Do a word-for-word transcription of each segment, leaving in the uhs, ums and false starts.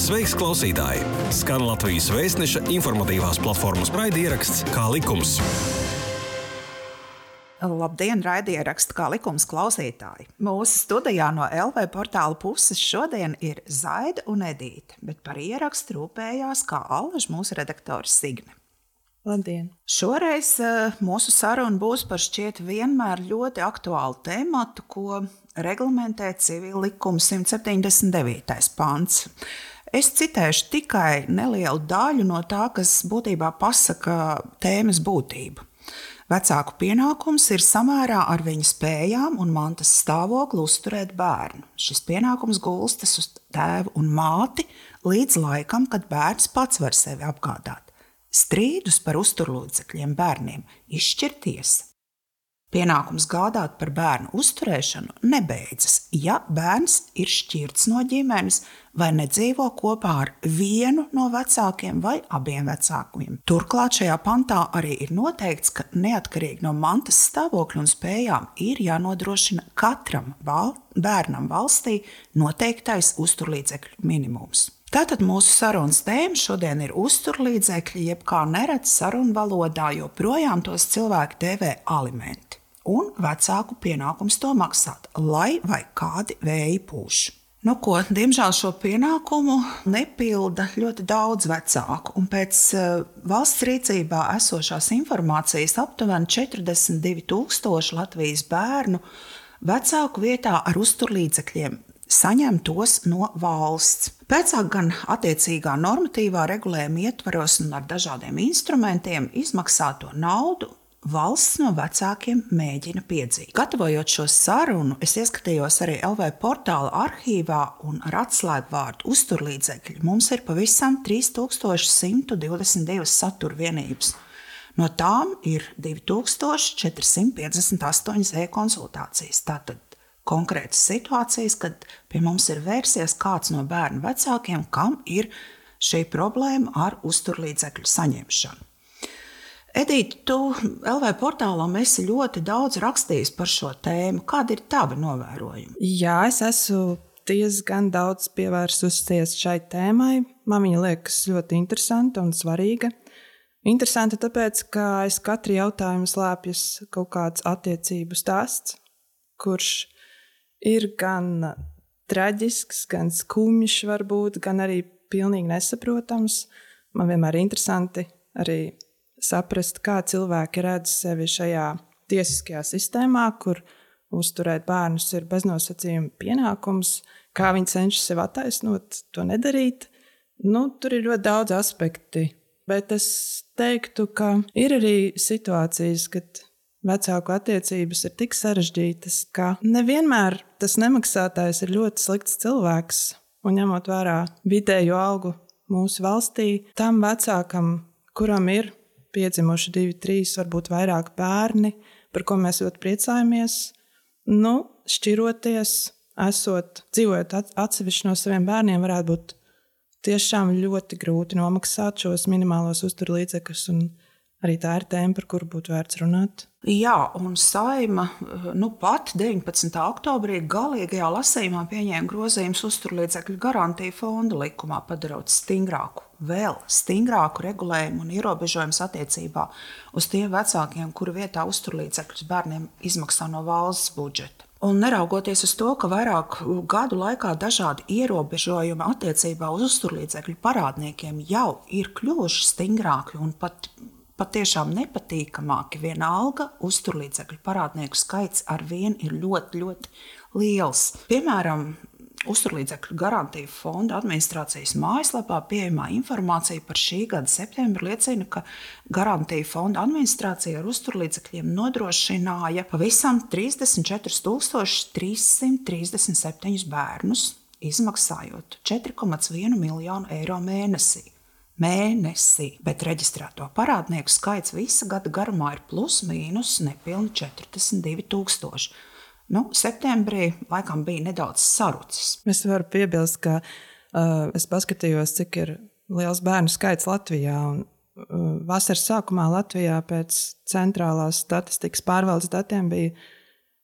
Sveiks, klausītāji! Skan Latvijas Vēstneša informatīvās platformas raidieraksts Kā likums. Labdien, raidieraksts Kā likums klausītāji! Mūsu studijā no L V portāla puses šodien ir Zaida un Edīte, bet par ierakstu rūpējās kā allaž mūsu redaktors Signe. Labdien! Šoreiz uh, mūsu saruna būs par šķiet vienmēr ļoti aktuālu tēmatu, ko reglamentē civila likuma simt septiņdesmit devītais pants. Es citēšu tikai nelielu daļu no tā, kas būtībā pasaka tēmas būtību. Vecāku pienākums ir samērā ar viņa spējām un mantas stāvokli uzturēt bērnu. Šis pienākums gulstas uz tēvu un māti līdz laikam, kad bērns pats var sevi apgādāt. Strīdus par uzturlīdzekļiem bērniem izšķir tiesa. Pienākums gādāt par bērnu uzturēšanu nebeidzas, ja bērns ir šķirts no ģimenes vai nedzīvo kopā ar vienu no vecākiem vai abiem vecākiem. Turklāt šajā pantā arī ir noteikts, ka neatkarīgi no mantas stāvokļa un spējām ir jānodrošina katram val- bērnam valstī noteiktais uzturlīdzekļu minimums. Tātad mūsu sarunas tēma šodien ir uzturlīdzekļi, jeb kā neredz sarunu valodā, joprojām tos cilvēki dēvē alimenti. Un vecāku pienākums to maksāt, lai vai kādi vēji pūš. Nu ko, diemžēl šo pienākumu nepilda ļoti daudz vecāku, un pēc uh, valsts rīcībā esošās informācijas aptuveni četrdesmit divi tūkstoši Latvijas bērnu vecāku vietā ar uzturlīdzekļiem saņem tos no valsts. Pēcāk gan attiecīgā normatīvā regulējuma ietvaros un ar dažādiem instrumentiem izmaksāto naudu valsts no vecākiem mēģina piedzīt. Gatavojot šo sarunu, es ieskatījos arī L V portāla arhīvā un ar atslēgvārdu uzturlīdzekļi mums ir pavisam trīs tūkstoši simt divdesmit divas satura vienības. No tām ir divi tūkstoši četri simti piecdesmit astoņas e-konsultācijas. Tātad konkrētas situācijas, kad pie mums ir vērsies kāds no bērnu vecākiem, kam ir šī problēma ar uzturlīdzekļu saņemšanu. Edīte, tu L V portālām esi ļoti daudz rakstījis par šo tēmu. Kādi ir tavi novērojumi? Jā, es esmu diezgan daudz pievērsusies šai tēmai. Man viņa liekas ļoti interesanta un svarīga. Interesanta tāpēc, ka aiz katra jautājuma slēpjas kaut kāds attiecību stāsts, kurš ir gan traģisks, gan skumjš varbūt, gan arī pilnīgi nesaprotams. Man vienmēr ir interesanti arī saprast, kā cilvēki redz sevi šajā tiesiskajā sistēmā, kur uzturēt bērnus ir beznosacījuma pienākums, kā viņi cenšas sev attaisnot, to nedarīt. Nu, tur ir ļoti daudz aspekti, bet es teiktu, ka ir arī situācijas, kad vecāku attiecības ir tik sarežģītas, ka nevienmēr tas nemaksātājs ir ļoti slikts cilvēks, un ņemot vērā vidējo algu mūsu valstī, tam vecākam, kuram ir piedzimuši divi, trīs, varbūt vairāk bērni, par ko mēs ļoti priecājamies, nu, šķiroties, esot, dzīvojot atsevišķi no saviem bērniem, varētu būt tiešām ļoti grūti nomaksāt šos minimālos uzturlīdzekļus, un arī tā ir tēma, par kuru būtu vērts runāt. Jā, un Saeima nu pat deviņpadsmitā oktobrī galīgajā lasījumā pieņēma grozījumus uzturlīdzekļu garantiju fonda likumā, padarot stingrāku, vēl stingrāku regulējumu un ierobežojumus attiecībā uz tiem vecākiem, kuru vietā uzturlīdzekļus bērniem izmaksā no valsts budžeta. Un neraugoties uz to, ka vairāk gadu laikā dažādi ierobežojumi attiecībā uz uzturlīdzekļu parādniekiem jau ir kļuvuši stingrāki un pat patiešām nepatīkamāki, vienalga uzturlīdzekļu parādnieku skaits ar vien ir ļoti, ļoti liels. Piemēram, uzturlīdzekļu garantiju fonda administrācijas mājaslapā pieejamā informācija par šī gada septembri liecina, ka garantiju fonda administrācija ar uzturlīdzekļiem nodrošināja pavisam trīsdesmit četrus tūkstošus trīs simtus trīsdesmit septiņus bērnus, izmaksājot četri komā viens miljonu eiro mēnesī. Mēnesī, bet reģistrēto parādnieku skaits visa gada garumā ir plus mīnus nepilni četrdesmit divi tūkstoši. Nu, septembrī laikam bija nedaudz sarucis. Es varu piebilst, ka uh, es paskatījos, cik ir liels bērnu skaits Latvijā, un uh, vasaras sākumā Latvijā pēc centrālās statistikas pārvaldes datiem bija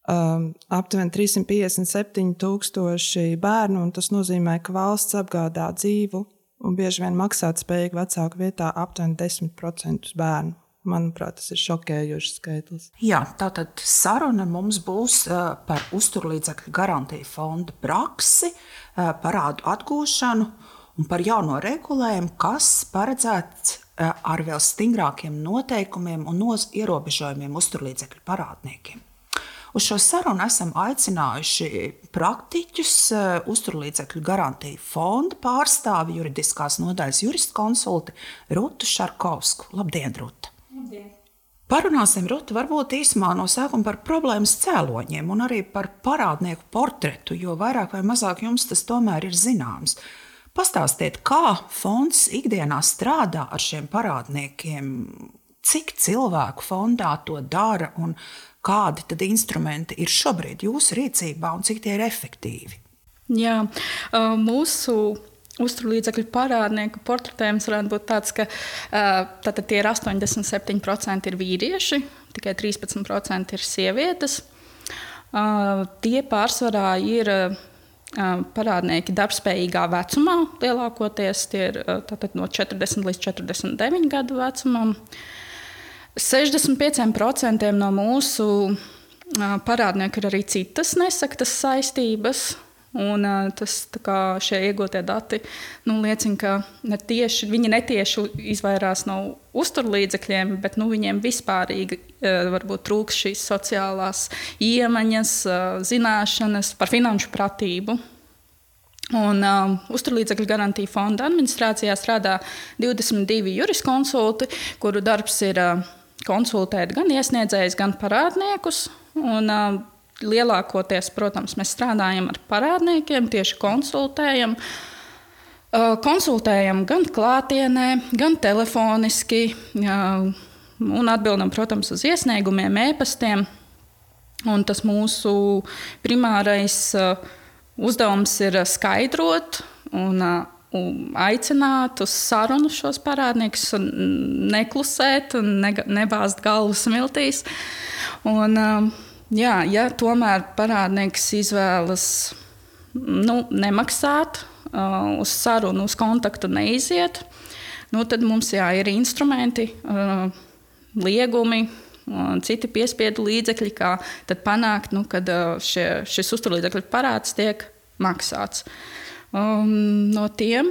um, aptuveni trīssimt piecdesmit septiņi tūkstoši bērnu, un tas nozīmē, ka valsts apgādā dzīvu un bieži vien maksātspējīgu vecāku vietā aptuveni desmit procentus bērnu. Manuprāt, tas ir šokējošs skaitlis. Jā, tātad saruna mums būs par uzturlīdzekļu garantiju fonda praksi, parādu atgūšanu un par jauno regulējumu, kas paredzēts ar vēl stingrākiem noteikumiem un noz ierobežojumiem uzturlīdzekļu parādniekiem. Uz šo sarunu esam aicinājuši praktiķus, uzturlīdzekļu garantiju fonda pārstāvi, juridiskās nodaļas juristkonsulti Rutu Šarkovsku. Labdien, Ruta! Labdien! Parunāsim, Ruta, varbūt īsumā no sākuma par problēmas cēloņiem un arī par parādnieku portretu, jo vairāk vai mazāk jums tas tomēr ir zināms. Pastāstiet, kā fonds ikdienā strādā ar šiem parādniekiem, cik cilvēku fondā to dara un kādi tad instrumenti ir šobrīd jūsu rīcībā un cik tie ir efektīvi? Jā, mūsu uzturlīdzekļu parādnieku portretējums varētu būt tāds, ka tātad tie ir astoņdesmit septiņi procenti ir vīrieši, tikai trīspadsmit procenti ir sievietes. Tie pārsvarā ir parādnieki darbspējīgā vecumā, lielākoties tie ir tātad no četrdesmit līdz četrdesmit deviņu gadu vecumam. sešdesmit pieci procenti no mūsu parādnieku ir arī citas nesaktas saistības. Un tas, kā šie iegūtie dati nu, liecina, ka ne tieši, viņi netieši izvairās no uzturlīdzekļiem, bet nu, viņiem vispārīgi varbūt trūks šīs sociālās iemaņas, zināšanas par finanšu pratību. Un, um, uzturlīdzekļu garantiju fonda administrācijā strādā divdesmit divi juriskonsulti, kuru darbs ir uh, konsultēt gan iesniedzējus, gan parādniekus. Un, uh, lielākoties, protams, mēs strādājam ar parādniekiem, tieši konsultējam. Uh, konsultējam gan klātienē, gan telefoniski uh, un atbildam, protams, uz iesniegumiem, e-pastiem. Un tas mūsu primārais uh, uzdevums ir skaidrot un, un aicināt uz sarunu šos parādniekus, neklusēt un ne, nebāzt galvu smiltīs. Un, jā, ja tomēr parādnieks izvēlas nu, nemaksāt, uz sarunu, uz kontaktu neiziet, nu, tad mums jā, ir instrumenti, liegumi, un citi piespiedu līdzekļi, kā tad panākt, nu, kad šie, šis uzturlīdzekļu parāds tiek maksāts. Um, no tiem,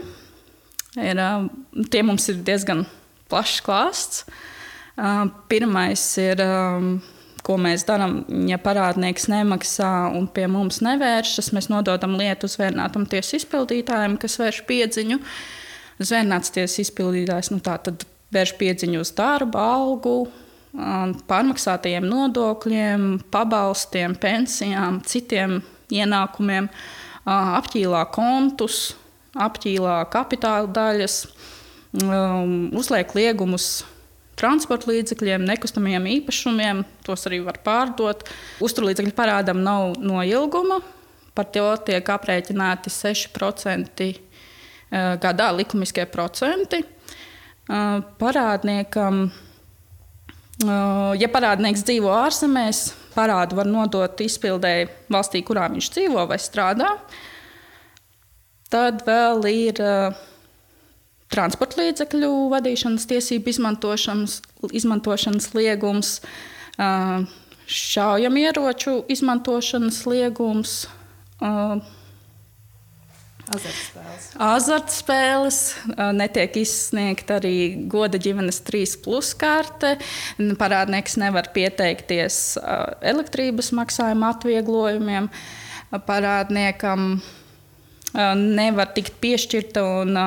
ir, tiem mums ir diezgan plašs klāsts. Uh, pirmais ir, um, ko mēs darām, ja parādnieks nemaksā un pie mums nevēršas, mēs nododam lietu zvērnātam tiesu izpildītājiem, kas vērš piedziņu. Zvērnāts tiesu izpildītājs, nu tā tad vērš piedziņu uz darbu, algu, pārmaksātajiem nodokļiem, pabalstiem, pensijām, citiem ienākumiem, apķīlā kontus, apķīlā kapitāla daļas, uzliek liegumus transporta līdzekļiem, nekustamajiem īpašumiem, tos arī var pārdot. Uzturlīdzekļu parādam nav noilguma, par to tiek aprēķināti seši procenti gadā likumiskie procenti. Parādniekam Ja parādnieks dzīvo ārzemēs, parādu var nodot izpildēji valstī, kurā viņš dzīvo vai strādā. Tad vēl ir uh, transporta līdzekļu vadīšanas tiesību izmantošanas, izmantošanas liegums, uh, šaujamieroču izmantošanas liegums, uh, Azartspēles. Azartspēles, netiek izsniegta arī goda ģimenes trīs plus karte. Parādnieks nevar pieteikties elektrības maksājuma atvieglojumiem. Parādniekam nevar tikt piešķirta un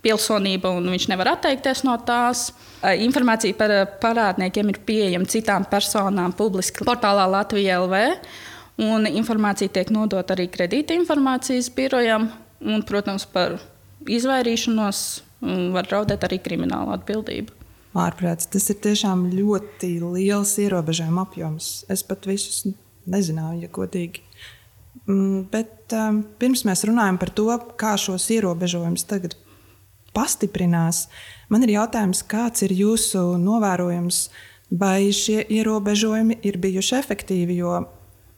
pilsonība, un viņš nevar atteikties no tās. Informācija par parādniekiem ir pieejama citām personām publiski portālā Latvija L V. Un informācija tiek nodota arī kredīta informācijas birojam, un, protams, par izvairīšanos var draudēt arī krimināla atbildība. Ārprāts, tas ir tiešām ļoti liels ierobežojuma apjoms. Es pat visus nezināju, ja godīgi. Bet um, pirms mēs runājam par to, kā šos ierobežojumus tagad pastiprinās, man ir jautājums, kāds ir jūsu novērojums, vai šie ierobežojumi ir bijuši efektīvi, jo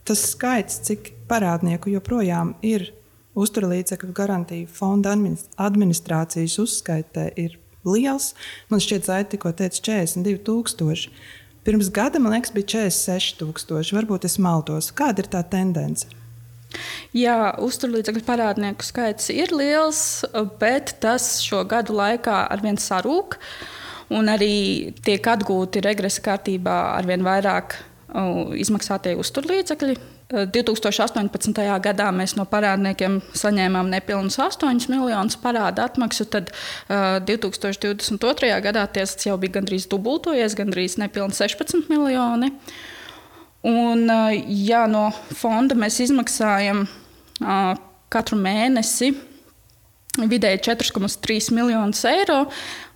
tas skaits, cik parādnieku joprojām ir uzturlīdzekļu garantiju fonda administrācijas uzskaitē, ir liels. Man šķiet, Zaita tikko teica četrdesmit divi tūkstoši. Pirms gada, man liekas, bija četrdesmit seši tūkstoši. Varbūt es maldos. Kāda ir tā tendence? Jā, uzturlīdzekļu parādnieku skaits ir liels, bet tas šo gadu laikā arvien sarūk. Un arī tiek atgūti regresa kārtībā arvien vairāk izmaksātie uzturlīdzekļi. divi tūkstoši astoņpadsmitajā gadā mēs no parādniekiem saņēmām nepilnus astoņus miljonus parāda atmaksu, tad uh, divi tūkstoši divdesmit otrajā gadā tas jau bija gandrīz dubultojies, gandrīz nepilni sešpadsmit miljoni. Un, uh, jā, no fonda mēs izmaksājam uh, katru mēnesi vidēji četri komats trīs miljonus eiro,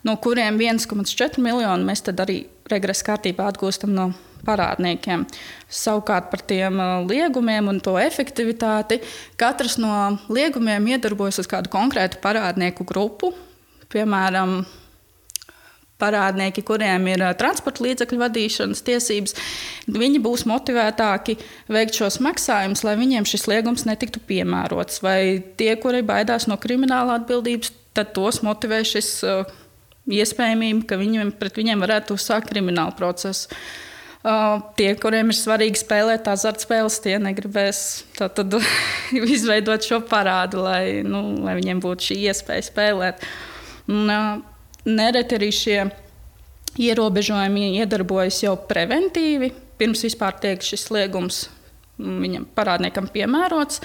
no kuriem viens komats četri miljoni mēs tad arī regresa kārtībā atgūstam no parādniekiem. Savukārt par tiem liegumiem un to efektivitāti katrs no liegumiem iedarbojas uz kādu konkrētu parādnieku grupu. Piemēram, parādnieki, kuriem ir transporta līdzekļu vadīšanas tiesības, viņi būs motivētāki veikt šos maksājumus, lai viņiem šis liegums netiktu piemērots. Vai tie, kuri baidās no krimināla atbildības, tad tos motivē šis iespējamība, ka viņiem, pret viņiem varētu uzsākt kriminālu procesu. Uh, tie, kuriem ir svarīgi spēlēt azartspēles, tie negribēs tad izveidot šo parādu, lai, nu, lai viņiem būtu šī iespēja spēlēt. Un, uh, nereti arī šie ierobežojumi iedarbojas jau preventīvi, pirms vispār tiek šis liegums viņam parādniekam piemērots,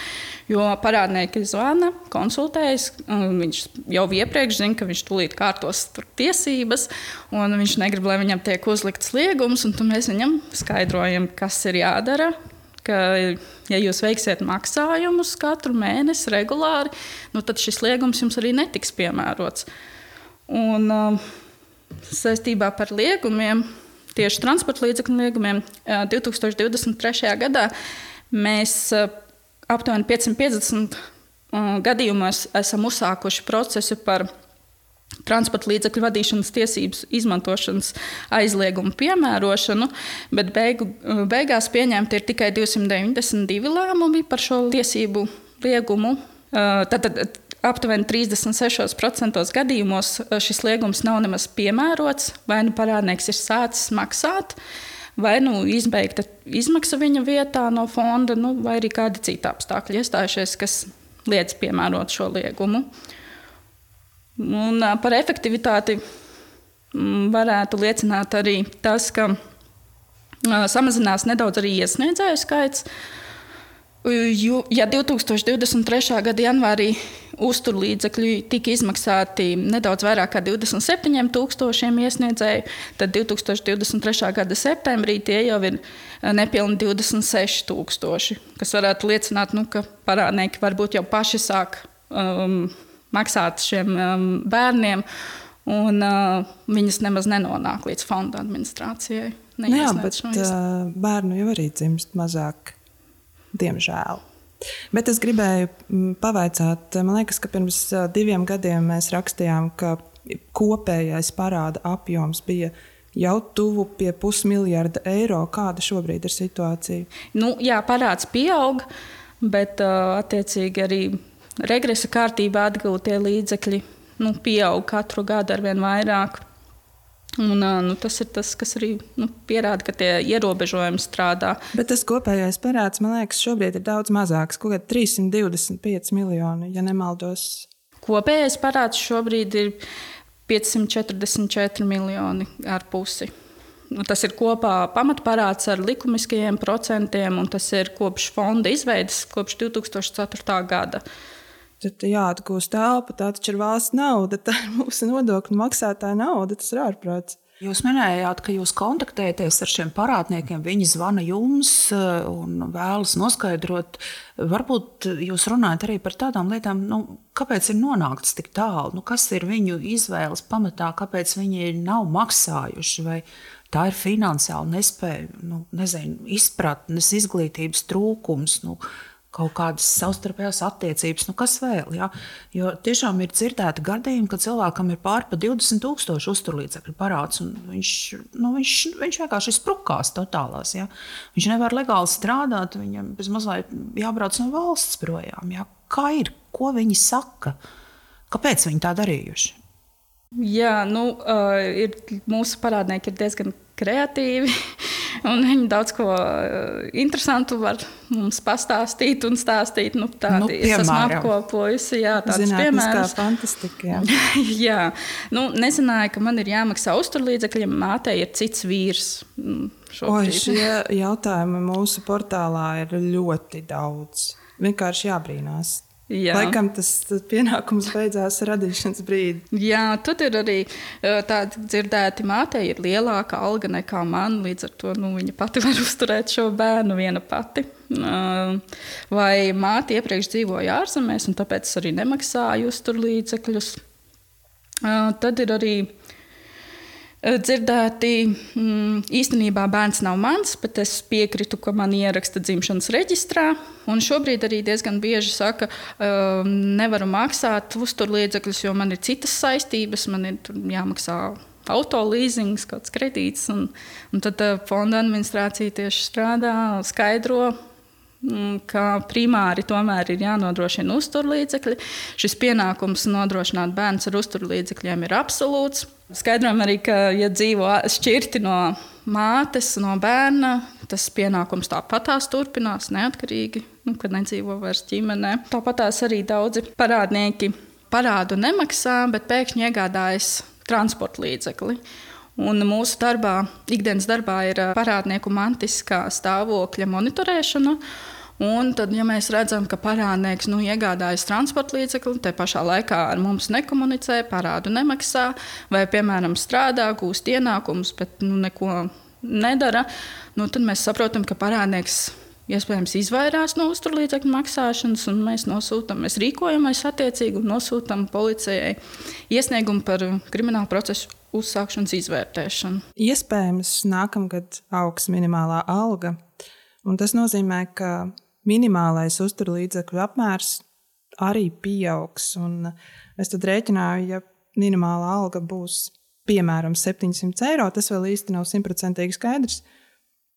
jo parādnieki zvana, konsultējas, viņš jau iepriekš zina, ka viņš tūlīt kārtos tiesības, un viņš negrib, lai viņam tiek uzlikts liegums, un tad mēs viņam skaidrojam, kas ir jādara, ka, ja jūs veiksiet maksājumus katru mēnesi regulāri, nu tad šis liegums jums arī netiks piemērots. Un saistībā par liegumiem, tieši transporta līdzekļu liegumiem, divi tūkstoši divdesmit trešajā gadā mēs aptuveni piecsimt piecdesmit gadījumos esam uzsākuši procesu par transporta līdzekļu vadīšanas tiesības izmantošanas aizliegumu piemērošanu, bet beigu, beigās pieņemti ir tikai divsimt deviņdesmit divi lēmumi par šo tiesību liegumu. Tātad aptuveni trīsdesmit sešos procentos gadījumos šis liegums nav nemaz piemērots, vai nu parādnieks ir sācis maksāt, vai nu izbeigta izmaksa viņa vietā no fonda, nu, vai arī kādi citi apstākļi iestājušies, kas liedz piemērot šo liegumu. Un par efektivitāti varētu liecināt arī tas, ka samazinās nedaudz arī iesniedzēju skaits. Ja divi tūkstoši divdesmit trešā gada janvārī uzturlīdzekļi tika izmaksāti nedaudz vairāk kā divdesmit septiņiem tūkstošiem iesniedzēju, tad divi tūkstoši divdesmit trešā gada septembrī tie jau ir nepilni divdesmit seši tūkstoši, kas varētu liecināt, nu, ka parādnieki varbūt jau paši sāk um, maksāt šiem um, bērniem, un uh, viņas nemaz nenonāk līdz fonda administrācijai. Nu jā, bet uh, bērnu jau arī dzimst mazāk. Diemžēl. Bet es gribēju pavaicāt, man liekas, ka pirms diviem gadiem mēs rakstījām, ka kopējais parāda apjoms bija jau tuvu pie pusmiljarda eiro. Kāda šobrīd ir situācija? Nu, jā, parāds pieaug, bet attiecīgi arī regresa kārtībā atgūtie līdzekļi nu, pieaug katru gadu arvien vairāk. Un, nu, tas ir tas, kas arī nu, pierāda, ka tie ierobežojumi strādā. Bet tas kopējais parāds, man liekas, šobrīd ir daudz mazāks, kaut kādi trīssimt divdesmit pieci miljoni, ja nemaldos. Kopējais parāds šobrīd ir piecsimt četrdesmit četri miljoni ar pusi. Nu, tas ir kopā pamatparāds ar likumiskajiem procentiem, un tas ir kopš fonda izveides, kopš divi tūkstoši ceturtā gada. Tad jāatgūst telpa, tā taču ir valsts nauda, tā ir mūsu nodokļu maksātāja nauda, tas ir ārprāts. Jūs minējāt, ka jūs kontaktējaties ar šiem parādniekiem, viņi zvana jums un vēlas noskaidrot. Varbūt jūs runājat arī par tādām lietām, nu, kāpēc ir nonākts tik tālu, nu, kas ir viņu izvēles pamatā, kāpēc viņi nav maksājuši, vai tā ir finansiāla nespēja, nu, nezinu, izpratnes, izglītības trūkums, nu, kaut kādas savstarpējās attiecības, nu kas vēl, ja? Jo tiešām ir dzirdēti gadījumi, ka cilvēkam ir pār pa divdesmit tūkstoši uzturlīdzekļu parāds, un viņš, nu, viņš, viņš vienkārši sprukās totālās, ja? Viņš nevar legāli strādāt, viņam bez mazliet jābrauc no valsts projām, ja? Kā ir? Ko viņi saka? Kāpēc viņi tā darījuši? Jā, nu, uh, ir, mūsu parādnieki ir diezgan kreatīvi, un viņi daudz ko uh, interesantu var mums pastāstīt un stāstīt. Nu, tādi, nu, es esmu apkopojusi, jā, tādus piemērus. Fantastika, jā. jā, nu, nezināju, ka man ir jāmaksā uzturlīdzekļiem, mātei ir cits vīrs. Oi, šie jautājumi mūsu portālā ir ļoti daudz. Vienkārši jābrīnās. Jā. Laikam tas pienākums beidzās radīšanas brīdi. Jā, tad ir arī tādi dzirdēti, mātei ir lielāka alga nekā man, līdz ar to nu, viņa pati var uzturēt šo bērnu viena pati. Vai māte iepriekš dzīvoja ārzemēs, un tāpēc es arī nemaksāju uzturlīdzekļus. Tad ir arī dzirdēti, īstenībā bērns nav mans, bet es piekritu, ka man ieraksta dzimšanas reģistrā. Un šobrīd arī diezgan bieži saka, nevaru maksāt uzturlīdzekļus, jo man ir citas saistības, man ir jāmaksā auto līzings, kāds kredīts. Un, un tad fonda administrācija tieši strādā, skaidro, ka primāri tomēr ir jānodrošina uzturlīdzekļi. Šis pienākums nodrošināt bērns ar uzturlīdzekļiem ir absolūts. Skaidrojam arī, ka, ja dzīvo šķirti no mātes, no bērna, tas pienākums tāpatās turpinās neatkarīgi, nu, kad nedzīvo vairs ģimenē. Tāpatās arī daudzi parādnieki parādu nemaksā, bet pēkšņi iegādājas transporta līdzekli. Un mūsu darbā, ikdienas darbā ir parādnieku mantiskā stāvokļa monitorēšana. Un tad, ja mēs redzam, ka parādnieks nu, iegādājas transporta līdzekli, te pašā laikā ar mums nekomunicē, parādu nemaksā, vai, piemēram, strādā, gūst ienākumus, bet nu, neko nedara, nu, tad mēs saprotam, ka parādnieks iespējams izvairās no uzturlīdzekļu maksāšanas, un mēs nosūtam, mēs rīkojamies attiecīgi un nosūtam policijai iesniegumu par kriminālu procesu uzsākšanas izvērtēšanu. Iespējams, nākamgad augs minimālā alga, un tas nozīmē, ka minimālais uzturlīdzekļu apmērs arī pieaugs. Un es tad rēķināju, ja minimālā alga būs piemēram septiņsimt eiro, tas vēl īsti nav simtprocentīgi skaidrs,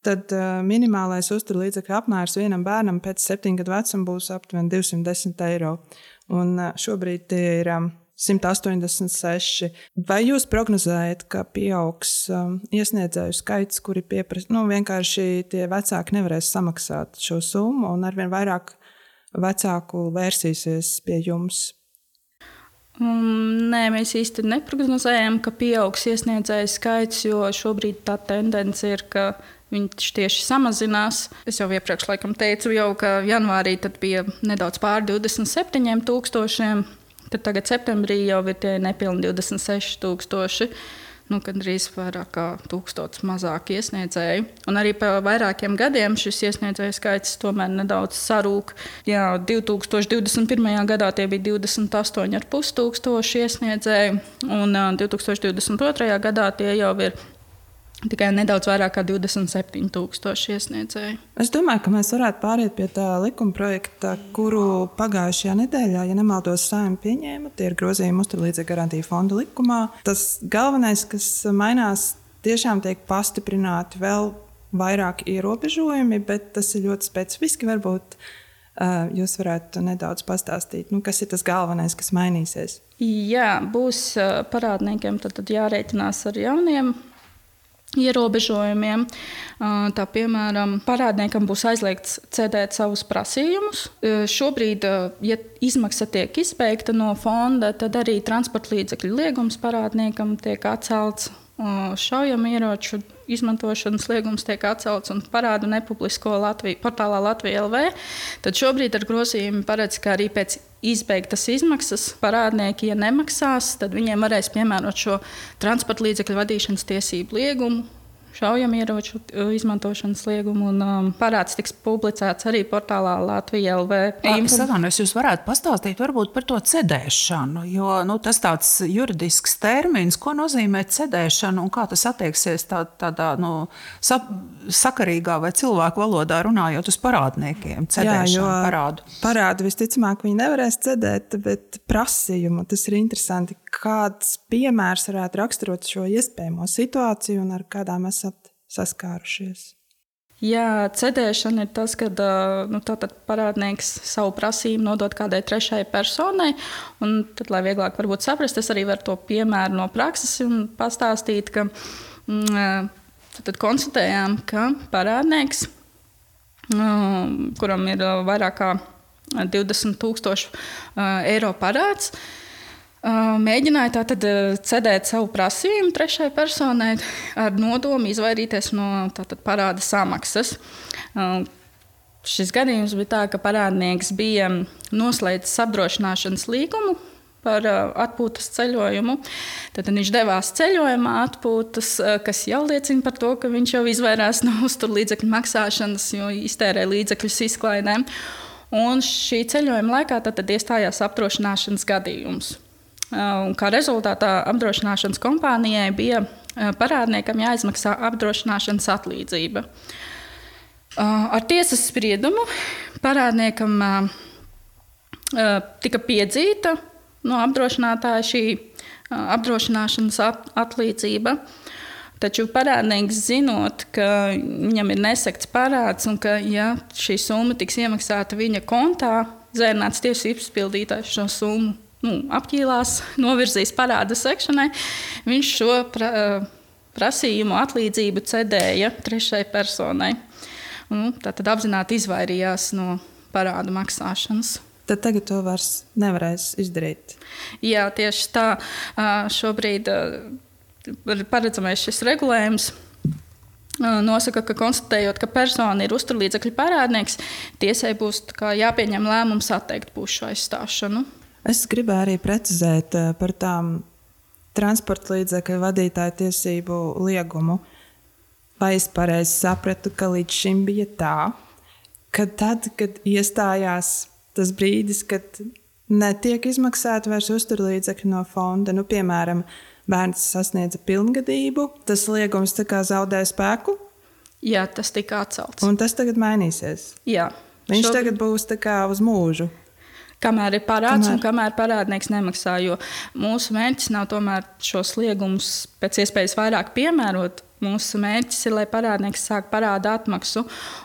tad uh, minimālais uzturlīdzekļu apmērs vienam bērnam pēc septiņu gadu vecuma būs aptuveni divsimt desmit eiro. Un uh, šobrīd tie ir um, simt astoņdesmit seši. Vai jūs prognozējat, ka pieaugs um, iesniedzēju skaits, kuri pieprasa, nu vienkārši tie vecāki nevarēs samaksāt šo summu un arvien vairāk vecāku vērsīsies pie jums? Um, nē, mēs īsti neprognozējam, ka pieaugs iesniedzēju skaits, jo šobrīd tā tendence ir, ka viņš tieši samazinās. Es jau iepriekš laikam teicu, jau, ka janvārī tad bija nedaudz pār divdesmit septiņiem tūkstošiem. Tad tagad septembrī jau ir tie nepilni divdesmit seši tūkstoši, nu, gandrīz vairāk kā tūkstots mazāk iesniedzēju. Un arī pa vairākiem gadiem šis iesniedzēju skaits tomēr nedaudz sarūk. Jā, divi tūkstoši divdesmit pirmajā gadā tie bija divdesmit astoņi ar pus tūkstoši iesniedzēju, un divi tūkstoši divdesmit otrajā gadā tie jau ir tikai nedaudz vairāk kā divdesmit septiņi tūkstoši iesniedzēju. Es domāju, ka mēs varētu pāriet pie tā likuma projekta, kuru pagājušajā nedēļā, ja nemaldos, Saeima pieņēma. Tie ir grozījumi uzturlīdzekļu garantiju fonda likumā. Tas galvenais, kas mainās, tiešām tiek pastiprināti vēl vairāk ierobežojumi, bet tas ir ļoti specifiski. Varbūt uh, jūs varētu nedaudz pastāstīt, nu, kas ir tas galvenais, kas mainīsies. Jā, būs uh, parādniekiem tad, tad jārēķinās ar jauniem ierobežojumiem. Tā, piemēram, parādniekam būs aizliegts cedēt savus prasījumus. Šobrīd, ja izmaksa tiek izbeigta no fonda, tad arī transporta līdzekļu liegums parādniekam tiek atcelts. Šaujamieroču izmantošanas liegums tiek atcelts un parādu nepublisko Latviju, portālā Latvija L V. Tad šobrīd ar grozījumi paredz, ka arī pēc izbeigtas izmaksas parādnieki, ja nemaksās, tad viņiem varēs piemērot šo transporta līdzekļu vadīšanas tiesību liegumu. šaujamieroču izmantošanas liegumu, un um, parāds tiks publicēts arī portālā Latvija L V. Es atvainojos, jūs varētu pastāstīt varbūt par to cedēšanu, jo nu, tas tāds juridisks termins, ko nozīmē cedēšana un kā tas attieksies tā, tādā nu, sa, sakarīgā vai cilvēku valodā runājot uz parādniekiem, cedēšanu, Jā, parādu. Parādu visticamāk viņi nevarēs cedēt, bet prasījumu, tas ir interesanti, kāds piemērs varētu raksturot šo iespējamo situāciju un ar kādām esat saskārušies. Jā, cedēšana ir tas, kad nu, parādnieks savu prasību nodod kādai trešai personai. Un tad, lai vieglāk varbūt saprast, es arī varu to piemēru no prakses un pastāstīt, ka mm, tad konstatējām, ka parādnieks, mm, kuram ir vairāk kā divdesmit tūkstoši eiro parāds, mēģināja tātad cedēt savu prasījumu trešai personai ar nodomu izvairīties no tātad parāda samaksas. Šis gadījums bija tā, ka parādnieks bija noslēdzis apdrošināšanas līgumu par atpūtas ceļojumu. Tad viņš devās ceļojumā atpūtas, kas jau liecina par to, ka viņš jau izvairās no uzturlīdzekļu maksāšanas, jo iztērē līdzekļus izklaidēm. Un šī ceļojuma laikā tad iestājās apdrošināšanas gadījums. Un kā rezultātā apdrošināšanas kompānijai bija parādniekam jāizmaksā apdrošināšanas atlīdzība. Ar tiesas spriedumu parādniekam tika piedzīta no apdrošinātāja šī apdrošināšanas atlīdzība. Taču parādnieks zinot, ka viņam ir nesekts parāds un ka ja šī summa tiks iemaksāta viņa kontā, zērnāts tiesības pildītājs šo summu nu, apķīlās, novirzīs parāda sekšanai, viņš šo pra, prasījumu atlīdzību cedēja trešai personai. Un, tātad apzināti izvairījās no parādu maksāšanas. Tad tagad to vairs nevarēs izdarīt. Jā, tieši tā. Šobrīd paredzamais šis regulējums nosaka, ka konstatējot, ka persona ir uzturlīdzekļu parādnieks, tiesai būs kā, jāpieņem lēmums atteikt pušu aizstāšanu. Es gribēju arī precizēt par tām transporta līdzekļu vadītāju tiesību liegumu. Vai es pareizi sapratu, ka līdz šim bija tā, ka tad, kad iestājās tas brīdis, kad netiek izmaksāti vairs uzturlīdzekļi no fonda, nu, piemēram, bērns sasniedza pilngadību, tas liegums tā kā zaudēja spēku? Jā, tas tika atcelts. Un tas tagad mainīsies? Jā. Viņš Šobrīd... tagad būs tā kā uz mūžu? Kamēr ir parāds kamēr... un kamēr parādnieks nemaksā, jo mūsu mērķis nav tomēr šos liegumus pēc iespējas vairāk piemērot. Mūsu mērķis ir, lai parādnieks sāk parāda atmaksu,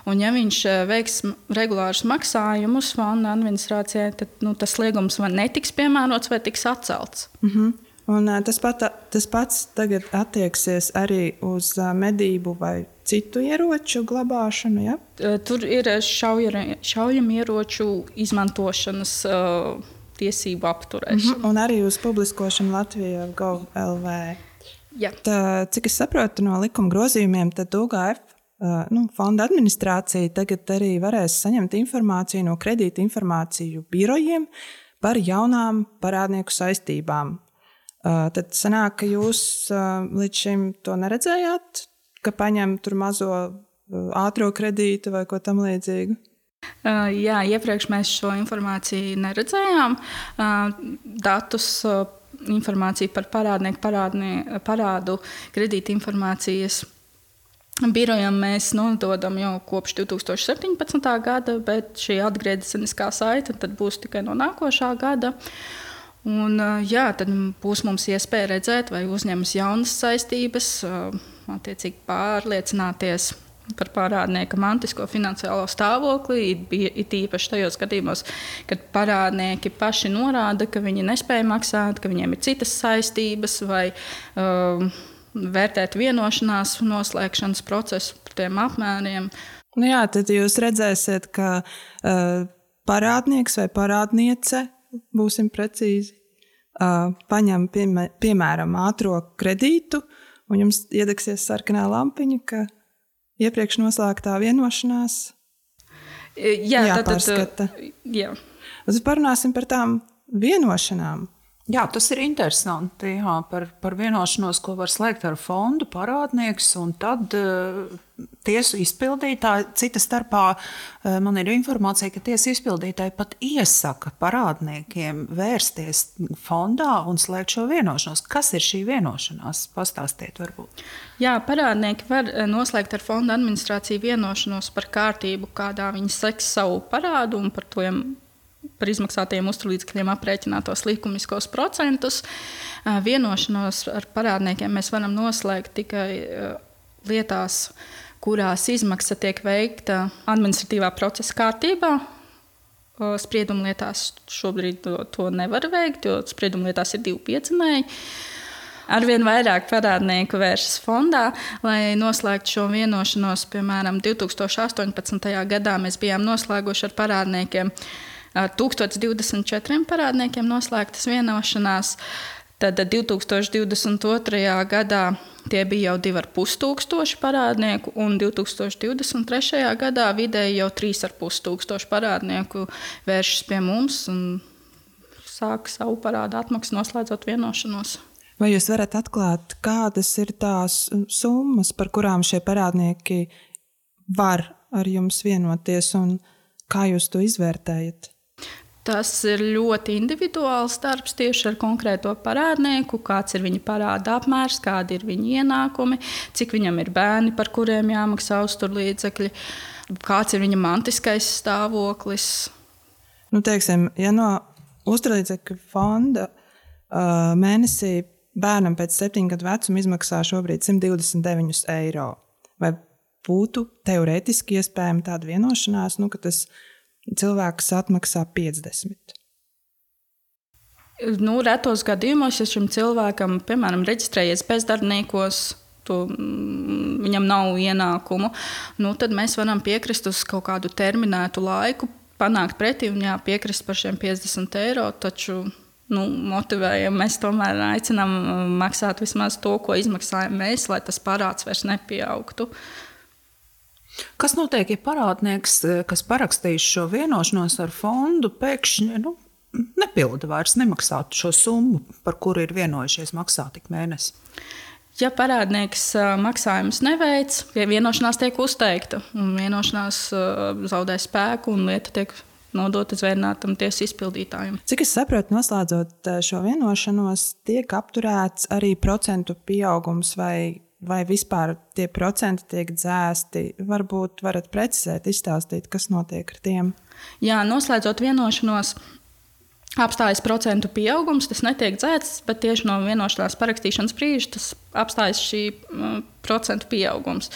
un ja viņš veiks regulārus maksājumus fonda administrācijai, tad nu, tas liegums vai netiks piemērots vai tiks atcelts. Mhm. Un tas, pat, tas pats tagad attieksies arī uz medību vai citu ieroču glabāšanu, ja? Tur ir šaujamieroču izmantošanas uh, tiesību apturēšana. Mm-hmm. Un arī uz publiskošanu Latvijā Gov L V. Ja. Tā, cik es saprotu no likuma grozījumiem, tad U G F uh, nu, fonda administrācija tagad arī varēs saņemt informāciju no kredīta informāciju birojiem par jaunām parādnieku saistībām. Uh, tad sanāk, ka jūs uh, līdz šim to neredzējāt, ka paņem tur mazo uh, ātro kredītu vai ko tam līdzīgu? Uh, jā, iepriekš mēs šo informāciju neredzējām. Uh, datus, uh, informāciju par parādnieku parādnie, parādu kredīta informācijas birojam mēs nododam jau kopš divi tūkstoši septiņpadsmitā gada, bet šī atgriezeniskā saite tad būs tikai no nākošā gada. Un, jā, tad būs mums iespēja redzēt, vai uzņemas jaunas saistības, attiecīgi pārliecināties par parādnieka mantisko finansiālo stāvokli, it īpaši tajos gadījumos, kad parādnieki paši norāda, ka viņi nespēja maksāt, ka viņiem ir citas saistības, vai um, vērtēt vienošanās noslēgšanas procesu par tiem apmēriem. Nu jā, tad jūs redzēsiet, ka uh, parādnieks vai parādniece, būsim precīzi, uh, paņem piemē, piemēram ātro kredītu, un jums iedegsies sarkanā lampiņa, ka iepriekš noslēgtā vienošanās jā, jāpārskata. Tad, jā. Tad parunāsim par tām vienošanām. Jā, tas ir interesanti jā, par, par vienošanos, ko var slēgt ar fondu parādnieks, un tad uh, tiesu izpildītāji, cita starpā uh, man ir informācija, ka tiesu izpildītāji pat iesaka parādniekiem vērsties fondā un slēgt šo vienošanos. Kas ir šī vienošanās? Pastāstiet varbūt. Jā, parādnieki var noslēgt ar fonda administrāciju vienošanos par kārtību, kādā viņi seks savu parādu un par to par izmaksātajiem uzturlīdzekļiem aprēķinātos likumiskos procentus. Vienošanos ar parādniekiem mēs varam noslēgt tikai lietās, kurās izmaksa tiek veikta administratīvā procesa kārtībā. Spriedumlietās šobrīd to, to nevar veikt, jo spriedumlietās ir divi piedzinēji. Arvien vairāk parādnieku vēršas fondā, lai noslēgtu šo vienošanos. Piemēram, divi tūkstoši astoņpadsmitajā gadā mēs bijām noslēguši ar parādniekiem tūkstoš divdesmit četriem parādniekiem noslēgtas vienošanās. Tad divi tūkstoši divdesmit otrajā gadā tie bija jau divi ar pus tūkstoši parādnieku, un divi tūkstoši divdesmit trešajā gadā vidēji jau trīs ar pus tūkstoši parādnieku vēršas pie mums un sāk savu parādu atmaksu noslēdzot vienošanos. Vai jūs varat atklāt, kādas ir tās summas, par kurām šie parādnieki var ar jums vienoties, un kā jūs to izvērtējat? Tas ir ļoti individuāls darbs tieši ar konkrēto parādnieku, kāds ir viņa parāda apmērs, kādi ir viņa ienākumi, cik viņam ir bērni, par kuriem jāmaksā uzturlīdzekļi, kāds ir viņa mantiskais stāvoklis. Nu, teiksim, ja no uzturlīdzekļu fonda uh, mēnesī bērnam pēc septiņu gadu vecuma izmaksā šobrīd simt divdesmit deviņi eiro, vai būtu teorētiski iespējama tāda vienošanās, nu, ka tas cilvēks atmaksā piecdesmit? Nu, retos gadījumos, ja šim cilvēkam, piemēram, reģistrējies bezdarbniekos, to, viņam nav ienākumu, nu, tad mēs varam piekrist uz kaut kādu terminētu laiku, panākt pretī un jā, piekrist par šiem piecdesmit eiro, taču nu, motivējam, mēs tomēr aicinām maksāt vismaz to, ko izmaksājam mēs, lai tas parāds vairs nepieaugtu. Kas notiek, ja parādnieks, kas parakstījis šo vienošanos ar fondu, pēkšņi nu, nepilda vairs, nemaksātu šo summu, par kuru ir vienojušies maksāt tik mēnesi? Ja parādnieks maksājumus neveic, ja vienošanās tiek uzteikta un vienošanās zaudē spēku un lieta tiek nodota zvērnātam tiesu izpildītājam. Cik es saprotu, noslēdzot šo vienošanos, tiek apturēts arī procentu pieaugums vai Vai vispār tie procenti tiek dzēsti? Varbūt varat precizēt, izstāstīt, kas notiek ar tiem? Jā, noslēdzot vienošanos, apstājas procentu pieaugums, tas netiek dzēsts, bet tieši no vienošanās parakstīšanas brīža tas apstājas šī uh, procentu pieaugums.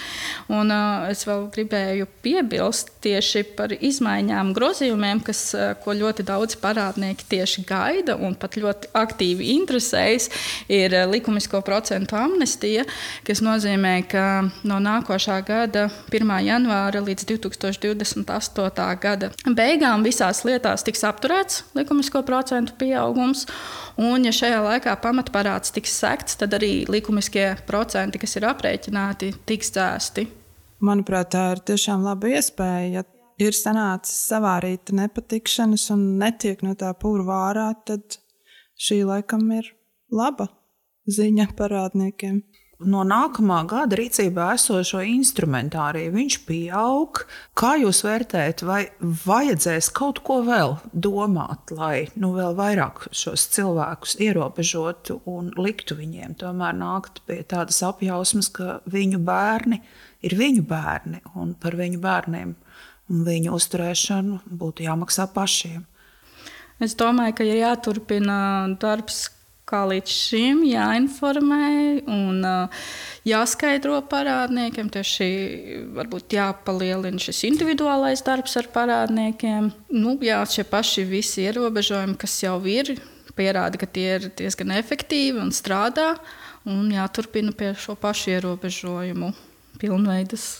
Un uh, es vēl gribēju piebilst tieši par izmaiņām, grozījumiem, kas, uh, ko ļoti daudzi parādnieki tieši gaida un pat ļoti aktīvi interesējas, ir uh, likumisko procentu amnestija, kas nozīmē, ka no nākošā gada pirmā janvāra līdz divi tūkstoši divdesmit astotā gada beigām visās lietās tiks apturēts likumisko procentu pieaugums, un ja šajā laikā pamatparāds tiks sekts, tad arī likumiskie procenti, kas ir aprēķināti, tiks dzēsti. Manuprāt, tā ir tiešām laba iespēja. Ja ir sanācis savārīta nepatikšanas un netiek no tā purva ārā, tad šī laikam ir laba ziņa parādniekiem. No nākamā gada rīcībā esošo instrumentāriju viņš pieaug. Kā jūs vērtējat, vai vajadzēs kaut ko vēl domāt, lai nu, vēl vairāk šos cilvēkus ierobežotu un liktu viņiem tomēr nākt pie tādas apjausmas, ka viņu bērni ir viņu bērni un par viņu bērniem un viņu uzturēšanu būtu jāmaksā pašiem? Es domāju, ka ir jāturpina darbs, kā līdz šim jāinformē un uh, jāskaidro parādniekiem. Tieši varbūt jāpalielina šis individuālais darbs ar parādniekiem. Nu, jā, šie paši visi ierobežojumi, kas jau ir, pierāda, ka tie ir diezgan efektīvi un strādā. Un jāturpina pie šo pašu ierobežojumu pilnveidas.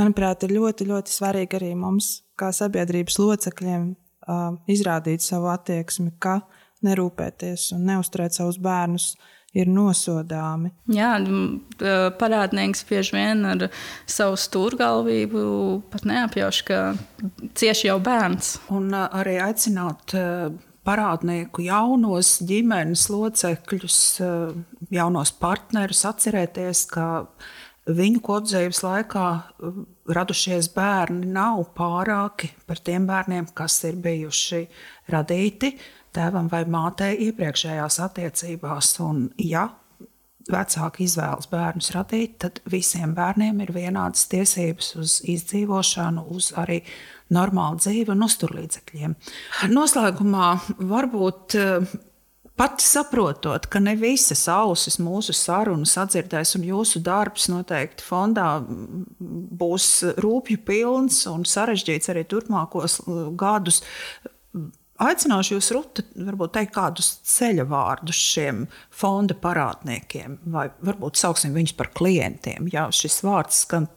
Manuprāt, ir ļoti, ļoti svarīgi arī mums, kā sabiedrības locekļiem, uh, izrādīt savu attieksmi, ka nerūpēties un neuzturēt savus bērnus ir nosodāmi. Jā, parādnieks bieži vien ar savu stūrgalvību pat neapjauš, ka cieši jau bērns. Un arī aicināt parādnieku jaunos ģimenes locekļus, jaunos partnerus, atcerēties, ka viņu kopdzīves laikā radušies bērni nav pārāki par tiem bērniem, kas ir bijuši radīti tēvam vai mātei iepriekšējās attiecībās. Un, ja vecāki izvēlas bērnus radīt, tad visiem bērniem ir vienādas tiesības uz izdzīvošanu, uz arī normālu dzīvi un uzturlīdzekļiem. Noslēgumā varbūt pat saprotot, ka ne visas ausis mūsu sarunas atdzirdēs un jūsu darbs noteikti fondā būs rūpju pilns un sarežģīts arī turpmākos gadus, aicināšu jūs, Ruta, varbūt teikt kādus ceļa vārdus šiem fonda parādniekiem, vai varbūt sauksim viņus par klientiem. Jā, šis vārds skan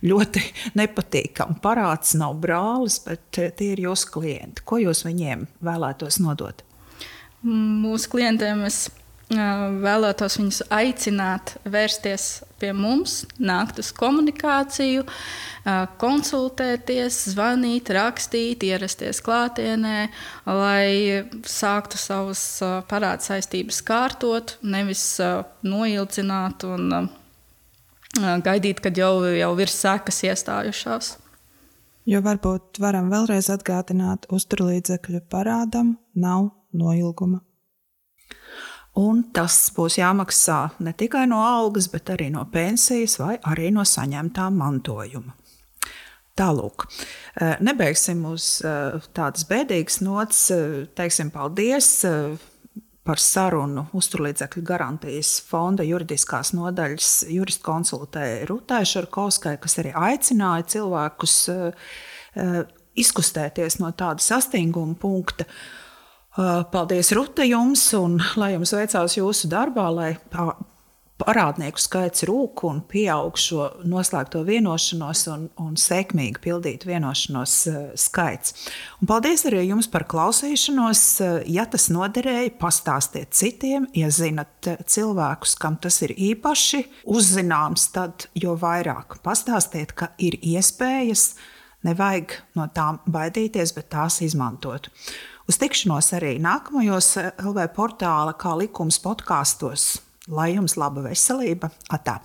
ļoti nepatīkami. Parāds nav brālis, bet tie ir jūsu klienti. Ko jūs viņiem vēlētos nodot? Mūsu klientiem es vēlētos viņus aicināt vērsties pie mums, nākt uz komunikāciju, konsultēties, zvanīt, rakstīt, ierasties klātienē, lai sāktu savas parāda saistības kārtot, nevis noilcināt un gaidīt, kad jau, jau ir sekas iestājušās. Jo varbūt varam vēlreiz atgādināt, uzturlīdzekļu parādam nav noilguma. Un tas būs jāmaksā ne tikai no algas, bet arī no pensijas vai arī no saņemtā mantojuma. Tālūk, nebeigsim uz tādas bēdīgas nots, teiksim paldies par sarunu uzturlīdzekļu garantijas fonda juridiskās nodaļas juristu konsultēja Rutai Šarkovskai, kas arī aicināja cilvēkus izkustēties no tāda sastinguma punkta. Paldies, Ruta, jums, un lai jums veicās jūsu darbā, lai parādnieku skaits rūk un pieaug šo noslēgto vienošanos un, un sekmīgi pildītu vienošanos skaits. Un paldies arī jums par klausīšanos. Ja tas noderēja, pastāstiet citiem. Ja zinat cilvēkus, kam tas ir īpaši uzzināms, tad jo vairāk pastāstiet, ka ir iespējas, nevajag no tām baidīties, bet tās izmantot. Uz tikšanos arī nākamajos L V portāla Kā likums podkastos. Lai jums laba veselība! Atā!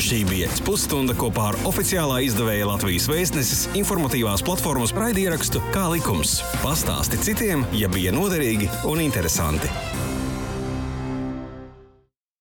Šī bija pusstunda kopā ar oficiālā izdevēja Latvijas Vēstneses informatīvās platformas raidierakstu Kā likums. Pastāsti citiem, ja bija noderīgi un interesanti.